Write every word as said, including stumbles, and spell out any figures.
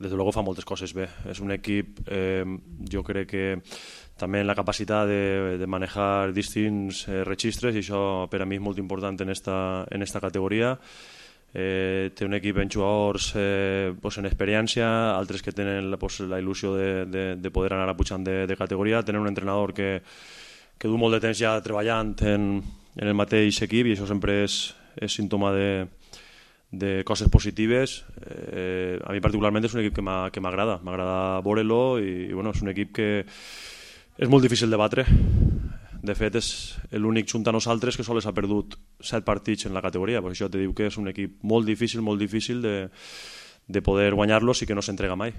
des de luego fa moltes coses bé. És un equip, eh, jo crec que també en la capacitat de, de manejar distints eh, registres, i això per a mi és molt important en esta, en esta categoria. Eh, té un equip en jugadors eh, pues en experiència, altres que tenen pues, la il·lusió de, de, de poder anar pujant de, de categoria, tenen un entrenador que, que du molt de temps ja treballant en, en el mateix equip, i això sempre és, és símptoma de, de coses positives. Eh, a mi particularment és un equip que m'agrada, m'agrada veure-lo, i, i bueno, és un equip que és molt difícil de batre. De fet, és l'únic junt a nosaltres que sols ha perdut set partits en la categoria. Per això te diu que és un equip molt difícil, molt difícil de, de poder guanyar-lo i que no s'entrega mai.